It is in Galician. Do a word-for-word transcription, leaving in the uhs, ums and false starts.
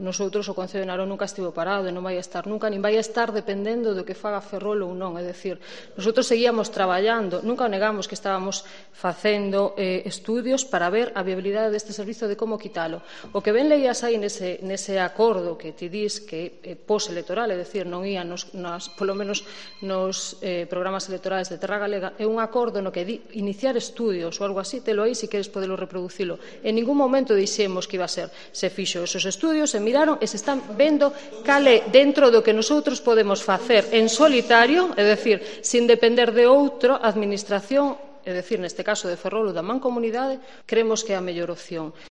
Nosotros, o Concello de Narón nunca estivo parado e non vai a estar nunca, nin vai a estar dependendo do que faga Ferrol ou non. É dicir, nosotros seguíamos traballando, nunca negamos que estábamos facendo eh, estudios para ver a viabilidade deste servizo de como quitalo. O que ben leías aí nese, nese acordo que ti dis que é postelectoral, é dicir, non ia nos, nas, polo menos nos eh, programas electorais de Terra Galega, é un acordo no que di iniciar estudios ou algo así, telo aí se queres podelo reproducilo. En ningún momento dixemos que iba a ser. Se fixo esos estudios, se miraron e se están vendo cal é dentro do que nosotros podemos facer en solitario, é dicir, sin depender de outra administración, é dicir, neste caso de Ferrol ou da Mancomunidade, creemos que é a mellor opción.